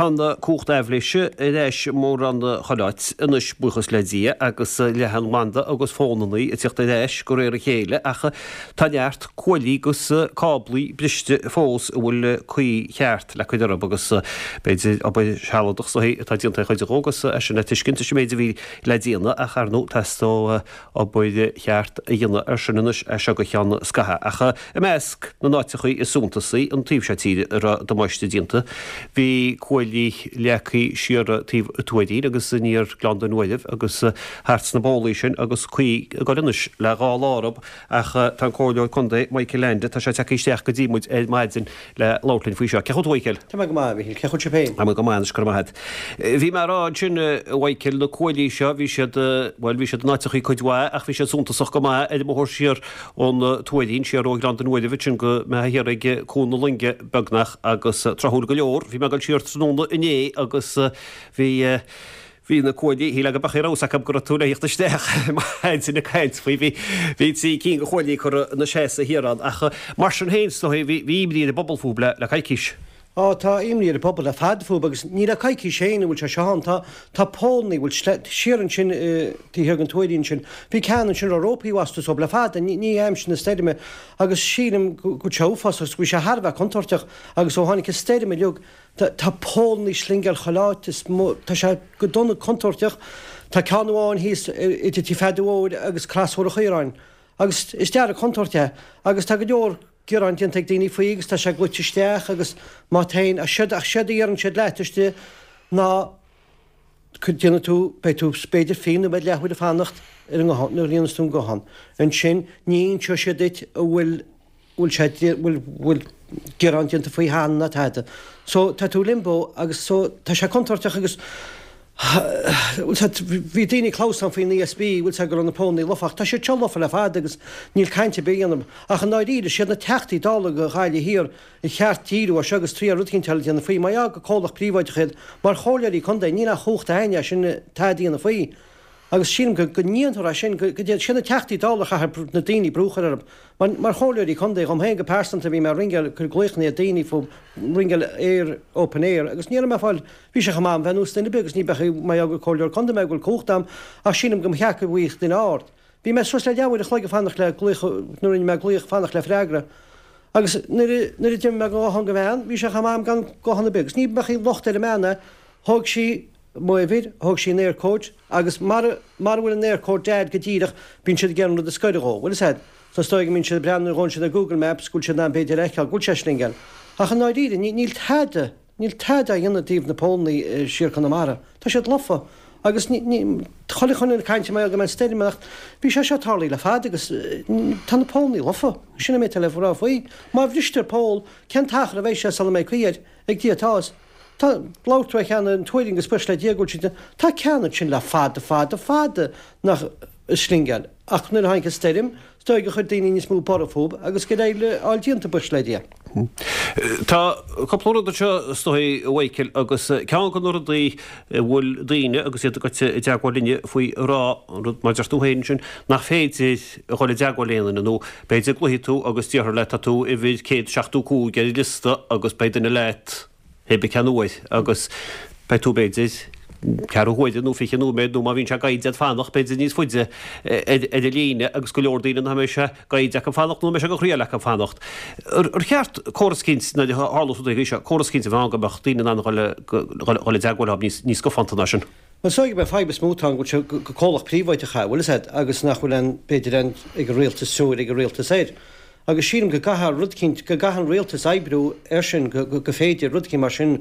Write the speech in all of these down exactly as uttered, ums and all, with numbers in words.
Tá an cumhacht aibhléise ar ais mórán chuile áit anois, buíochas le Dia, agus leathanbhanda agus fónannaí ag tíocht ar ais de réir a chéile, ach tá neart cuaillí agus cáblaí briste fós a bhfuil caoi cheart le cur orthu agus b'fhéidir obair shealadach is dóichí atá déanta ar chuid acu agus é sin le tuiscint leis an méid a bhí le déanamh ach ar ndóigh teastóidh obair cheart a dhéanamh air sin anois as seo go ceann scaithimh. Ach i measc na n-áiteachaí is suntasaí an taobh seo tíre a raibh damáiste déanta, bhí cuaillí leagtha siar taobh an Tuairín agus aniar Gleann Dún Uaimh agus thart sna bólaí sin agus caoi ag dul anois le dhá lá orthu ach tá an Comhairleoir Contae Michael Leainde, tá sé tagtha isteach go dtí muid ar maidin le labhairt linn faoi seo. Cén chaoi a bhfuil tú a Mhichael? Tá mé go maith, a Mhichíl. Cén chaoi a bhfuil sibh féin? Tá mé go maith anois, go raibh maith agat. Bhí mé ag rá ansin, a Mhichael, na cuaillí seo, bhí siad, bhuel, bhí siad in áiteachaí cuid mhaith ach bhí siad suntasach go maith ar an mbóthar siar ón Tuairín, siar ó Ghleann Dún Uaimh ansin go mbeifeá thiar ag Cuan na Loinge beagnach agus tráthúil go leor, bhí mé ag dul siar tráthnóna inné agus bhí, bhí na cuaillí, shílfeá go mbeadh a fhios acu go raibh tú le thíocht isteach maidin ag caint faoi, bhí, bhí trí cinn de chuaillí curtha ina seasamh thiar ann ach mar sin féin is dóigh bhí, bhí imní ar an bpobal fúthu le, le coicís. Á, tá imní ar an bpobal le fada fúthu agus ní le coicís féin a bhfuil sé seo ann. Tá, tá pólannaí a bhfuil sle, siar ansin i, taobh thiar den Tuairín ansin, bhí ceann ansin a raibh rópaí astu le fada, ní, ní aimsir na stoirme agus sílim go, go bhfuil sé uafásach agus go bhfuil sé thar a bheith contúirteach agus ó tháinig an stoirm uilig, tá, tá pólannaí ag slingeáil chuile áit, is mo, tá sé go dona contúirteach. Tá ceann amháin thíos idir Tigh Pheaidí Mhóir agus Crosbhóthar an Chaoráin agus is dearg contúirt é agus tá go leor gearán déanta ag daoine faoi agus tá sé goite isteach agus má théann, ach séard, ach séard a dheireann siad leat istigh ná déanfaidh tú, beidh tú b'fhéidir fiche nóiméad leathuair ag fanacht ar an nguthán, nuair a ghlaonnas tú an guthán. Ansin ní inseoidh siad duit an bhfuil, bhfuil sé, bhfuil, bhfuil gearán déanta faoi cheana ná tada. So tá tú i limbo agus so tá sé contúirteach agus Bhí daoine ag clamhsán faoin ESB, bhfuil 's a'd go raibh na pólannaí lofa ach tá siad seo lofa le fada agus níl caint ar bith á dhéanamh. Ach i ndáiríre, siad na Teachtaí Dála do Ghaillimh Thiar a cheart díriú air seo agus triail rud eicínt eile a dhéanamh faoi. Mar gheall gur comhlacht príobháideach iad, mar chomhairleoirí contae, níl aon chumhacht a'ainn é sin tada a dhéanamh faoi. Agus sílim go go ndéanfar é sin, go go dté, siad na Teachtaí Dála a chaithfidh na daoine brú a chur orthu. Mar mar chomhairleoirí contae, dhom féin go pearsanta, bhí mé ag ringeáil, cur glaochanna ar daoine fú ringeáil Eir Open Air agus ní raibh mé ag fáil, bhí sé chomh maith a'm bheith ar nós duine ar bith agus ní bheadh mar gheall gur comhairleoir contae mé go bhfuil cumhacht a'm ach sílim go mba cheart go bhfaigheadh duine aird. Bhí mé suas le leathuair a chloig ag fanacht le glaoch, nuair a rinne mé glaoch, fanacht le freagra. Agus nuair a nuair a d'imigh mé den ghuthán don bhean, bhí sé chomh maith a'm gan guthán ar bith agus ní bheadh aon locht ar an mbean é, thóg sí, m'uimhir, thóg sí an Eircode agus mara, mara bhfuil an Eircode dead go díreach, bíonn siad ag iarraidh an rud a scoireadh dhó, bhfuil fhios a'd. So is dóigh go mbíonn siad ag breathnú, nuair a ghabhann siad ar Google Maps, go bhfuil siad in ann b'fhéidir a fheiceáil go bhfuil sé ag slingeáil. Ach i ndáiríre, ní, níl tada, níl tada á dhéanamh i dtaobh na pólannaí siar Conamara. Tá siad lofa. Agus ní, ní, chuile dhuine ag caint mar gheall go mbeidh stoirm ach bhí sé seo tarlaithe le fada agus tá na pólannaí lofa. Sin an méid atá le rá faoi. Má bhristear poll, cén t-achar a bheidh sé sula mbeidh caoi air? Ag Dia atá a fhios. Tá, labhair tú ar cheann an Tuairín agus buíochas le Dia go bhfuil siad, tá ceann ansin le fada, fada, fada nach ag slingeáil ach nuair a tháinig an stoirm, is dóigh gur chuir daoine níos mó borradh fúb agus gur éirigh le fháil déanta, buíochas le Dia. Tá cúpla rud anseo is dóigh, a Mhichael, agus ceann de na rudaí a bhfuil daoine agus iad ag goil i dteagmháil linne faoi a rá, an rud mar a deir tú féin ansin, nach féidir a dhul i dteagmháil le aon duine nó b'fhéidir glaofaidh tú agus déarfar leat tá tú uimhir céad seachtó cúig ar an liosta agus beidh duine leat pé ar bith cén uair agus beidh tú b'fhéidir ceathrú huaire nó fiche nóiméad nó má bhíonn sé gaibhte agat fanacht b'fhéidir níos faide ar an líne agus go leor daoine nach mbeidh sé gaibhte acu fanacht nó nach mbeidh sé de chroí acu fanacht. Ar cheart córas eicínt nuair a tharlós rudaí seo, córas eicínt a bheith ann go mbeadh daoine in ann a dhul i dteagmháil leo níos scafánta ná sin? Bhuel, is dóigh gurb é an fadhb is mó atá ann go bhfuil sé gur comhlacht príobháideach é, bhfuil fhios a'd, agus nach bhfuil aon, b'fhéidir aon, ag an rialtas, treoir ag an rialtas air. Agus sílim go gcaithfear rud eicínt, go gcaithfidh an rialtas oibriú air sin, go, go, go féidir rud eicínt mar sin,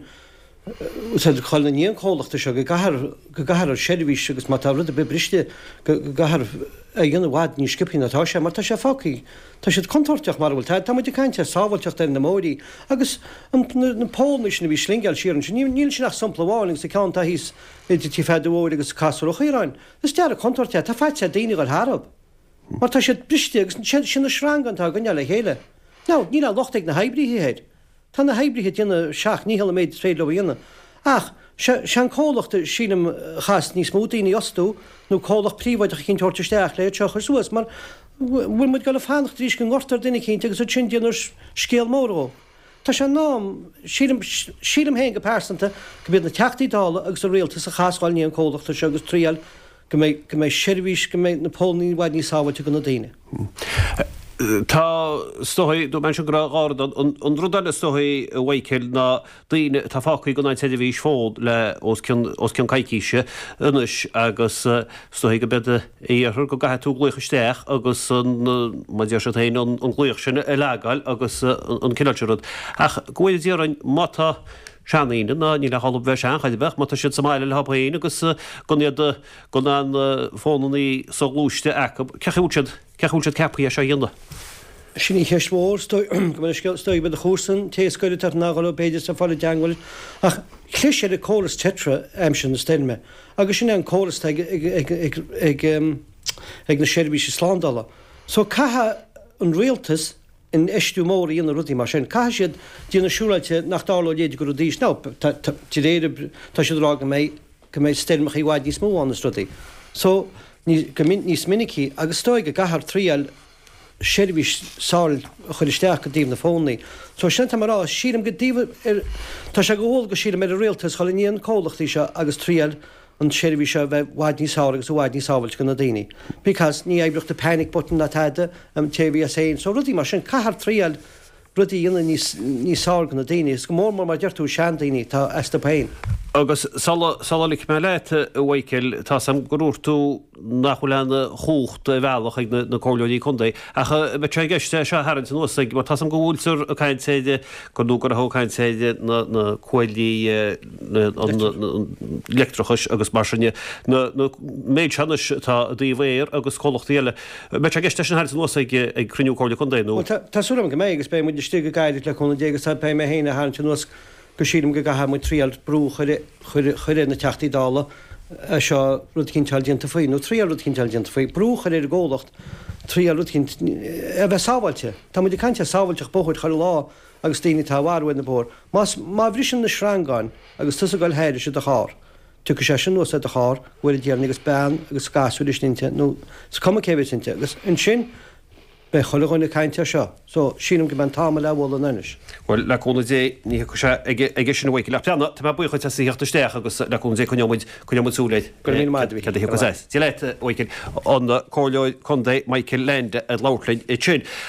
bhfuil fhios a'd, dhul i ndiaidh an chomhlachta seo, go gcaithfear, go gcaithfear an seirbhís agus má tá rud ar bith briste, go, go gcaithfear é a dhéanamh i bhfad níos sciobthaí ná atá sé, mar tá sé fágtha, tá siad contúirteach mar a bhfuil, tá, tá muid ag caint ar sábháilteacht ar na mbóithrí agus an, na, na pólannaí sin a bhí ag slingeáil siar ansin, níl, níl sin ach sampla amháin agus an ceann atá thíos idir Tigh Pheaidí Mhóir agus Casúr an Chaoráin, is dearg contúirt é, tá faitíos ar daoine a dhul tharab mar tá siad briste agus sin, sin na sreangáin atá á gcoinneáil le chéile. Now, níl aon locht ag na hoibrithe air. Tá na hoibrithe ag déanamh a seacht ndícheall an méid is féidir leo a dhéanamh. Ach, sé an comhlacht, sílim, a chaithfeas níos mó daoine a fhostú, nó comhlacht príobháideach eicínt a thabhairt isteach le iad seo a chur suas, mar bhfuil muid ag dul a fanacht arís go ngortófar duine eicínt agus ansin déanfar scéal mór dhó. Tá sé in am, sílim, sílim féin go pearsanta, go mb'iad na Teachtaí Dála agus an Rialtas a chaithfeas dhul i ndiaidh an comhlachta seo agus triail go mbeidh, go mbeidh seirbhís, go mbeidh na póilíní i bhfad níos sábháilte do na daoine. Tá, is dóigh, dúirt mé ansin go raibh dhá rud ann. An rud eile is dóigh, a Mhichael, ná daoine atá fágtha gan an tseirbhís fón le os cionn, os cionn coicíse anois agus is dóigh go mbeidh a iarthar go gcaithfidh tú glaoch isteach agus an, mar a deir siad féin, an glaoch sin a leagáil agus an cineál sin rud. Ach go bhfóire Dia orainn, má tá seandaoine, ná níl ach orthu bheith sean, chor ar bith, má tá siad sa mbaile leo féin agus gan iad, gan an fónannaí soghluaiste acu, cén chaoi a bhfuil siad, cén chaoi a bhfuil siad ceaptha é seo a dhéanamh? Sin í cheist mhór, is dóigh, go mbeidh scéal, is dóigh, beidh do chomharsan, té a scoireadh ort nach raibh b'fhéidir sa fáil i dteangmháil, ach chlis ar an córas Tetra aimsir na stoirme agus sin é an córas atá ag, ag, ag, ag, ag, ag na seirbhísí slándála. So caithfidh an rialtas infheistiú mór a dhéanamh i rudaí mar sin. Caithfidh siad déanamh siúráilte nach dtarlóidh a leithéid de rud arís. Now, tá, tá, de réir, tá siad ag rá go mbeidh, go mbeidh stoirmeacha i bhfad níos mó ann is rudaí. So, ní, go min, níos minicí agus is dóigh go gcaithfear triail seirbhís sábháilte a chur isteach i dtaobh na fónnaí. So sin atá mé a rá, sílim go dtaobh ar, tá sé go dhualgas sílim ar an rialtas dhul i ndiaidh na comhlachtaí seo agus triail an tseirbhís seo a bheith i bhfad níos fearr agus i bhfad níos sábháilte do na daoine. Because ní oibreodh the panic button ná tada, an té a bhí as féin. So rudaí mar sin, caithfear triail rudaí a dhéanamh níos, níos fearr do na daoine, is go mór mór mar a deir tú, seandaoine atá astu féin. Agus sula, sula ligfidh mé leat, a Mhichael, tá's a'm gur dhúirt tú nach bhfuil aon chumhacht ar bhealach ag na, na comhairleoirí contae, ach an mbeidh sé i gceist é seo a tharraingt anuas ag, mar tá's a'm go bhfuiltear ag caint ar, gur nó go raibh ag caint ar na, na cuaillí, na, an, an leictreachais agus mar sin de, na, na méid seo anois atá i dtaobh Eir agus comhlachtaí eile, an mbeidh sé i gceist é sin a tharraingt anuas ag, ag cruinniú Comhairle Contae nó? Bhuel, tá, tá súil agam go mbeidh agus beidh muid istigh go gairid le cúnamh Dé agus tá, beidh mé féin á tharraingt anuas go sílim go gcaithfidh muid triail brú a chur chur chur ar na Teachtaí Dála seo rud eicínt a fháil déanta faoi, nó triail rud eicínt a fháil déanta faoi, brú a chur ar an gcomhlacht triail rud eicínt a bheith sábháilte. Tá muid ag caint ar sábháilteacht bóthair chuile lá agus daoine atá á mharú ar na bóithre. Más, má bhriseann na sreangáin agus tusa ag goil thairis i do charr, tiocfaidh sé sin anuas ar do charr, go bhfóire Dia orainn agus bean agus gasúr istigh inti nó is cuma cé bheas inti agus ansin, Beidh chuile dhuine ag caint air seo, so sílim go mbeidh an t-am le bhualadh anois. Bhuel, le cúnamh Dé, ní thiocfaidh sé aige, aige sin a Mhichael. Ach breathnaigh, tá mé buíoch duit as a theacht isteach agus le cúnamh Dé coinneoidh muid, coinneoidh muid súil air. Go raibh míle maith agat, a Céard a thiocfas as. Dia leat, a Mhichael. An Comhairleoir Contae Michael Leainde ag labhairt linn ansin.